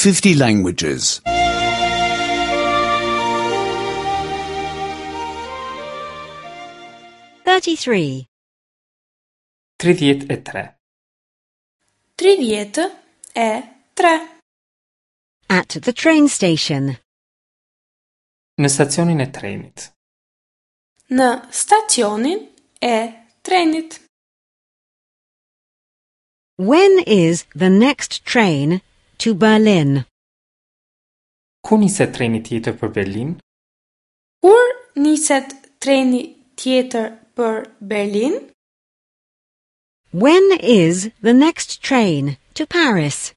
50 languages. 33. 33. 33. At the train station. Në stacionin e trenit. Në stacionin e trenit. When is the next train to Berlin? Kur niset treni tjetër për Berlin? Kur niset treni tjetër për Berlin? When is the next train to Paris?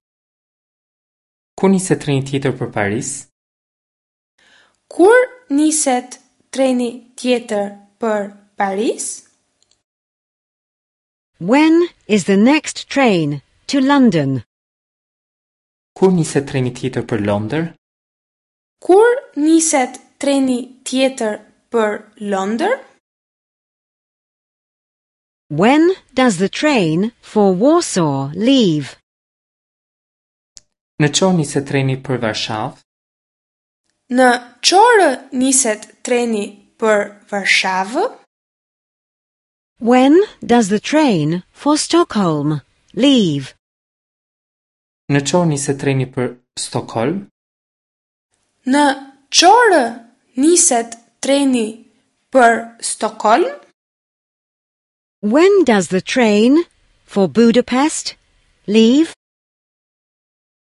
Kur niset treni tjetër për Paris? Kur niset treni tjetër për Paris? When is the next train to London? Kur niset treni tjetër për Londër? Kur niset treni tjetër për Londër? When does the train for Warsaw leave? Në ç'orë niset treni për Varshavë? Në ç'orë niset treni për Varshavë? When does the train for Stockholm leave? Në ç'orë niset treni për Stockholm? Në ç'orë niset treni për Stockholm? When does the train for Budapest leave?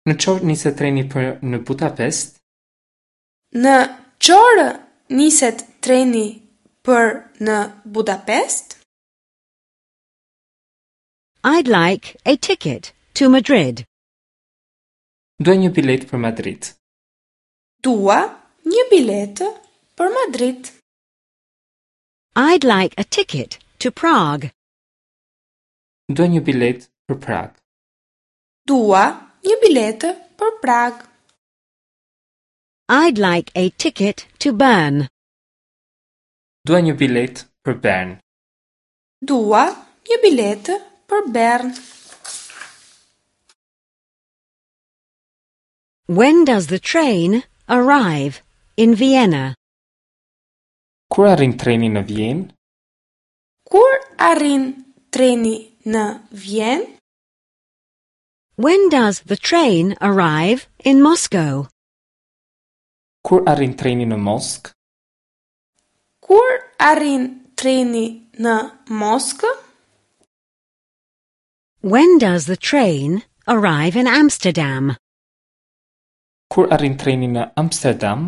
Në ç'orë niset treni për në Budapest? Në ç'orë niset treni për në Budapest? I'd like a ticket to Madrid. Dua një biletë për Madrid. Dua një biletë për Madrid. I'd like a ticket to Prague. Dua një biletë për Prag. Dua një biletë për Prag. I'd like a ticket to Bern. Dua një biletë për Bern. Dua një biletë për Bern. When does the train arrive in Vienna? Kur arrin treni në Vjenë? Kur arrin treni në Vjenë? When does the train arrive in Moscow? Kur arrin treni në Moskë? Kur arrin treni në Moskë? When does the train arrive in Amsterdam? Kur arrin treni në Amsterdam?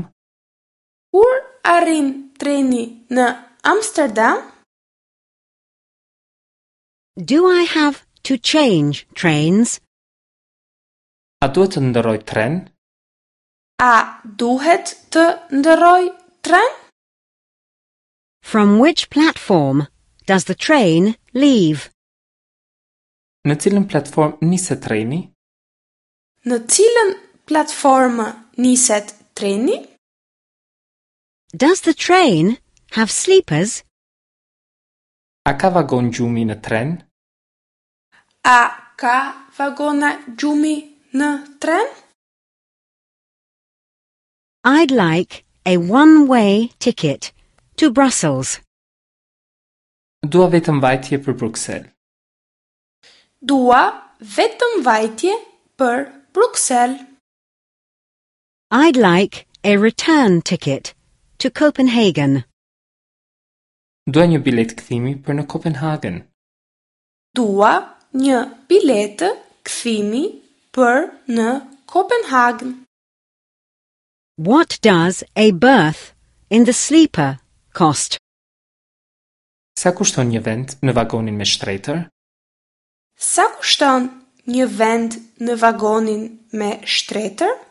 Kur arrin treni në Amsterdam? Do I have to change trains? A duhet të ndërroj tren? A duhet të ndërroj tren? From which platform does the train leave? Në cilën platformë niset treni? Në cilën platformë niset treni? Does the train have sleepers? A ka vagon gjumi në tren? A ka vagona gjumi në tren? I'd like a one-way ticket to Brussels. Dua vetëm vajtje për Bruksel. Dua vetëm vajtje për Bruksel. I'd like a return ticket to Copenhagen. Dua një biletë kthimi për në Kopenhagen. Dua një biletë kthimi për në Kopenhagen. What does a berth in the sleeper cost? Sa kushton një vend në vagonin me shtretër? Sa kushton një vend në vagonin me shtretër?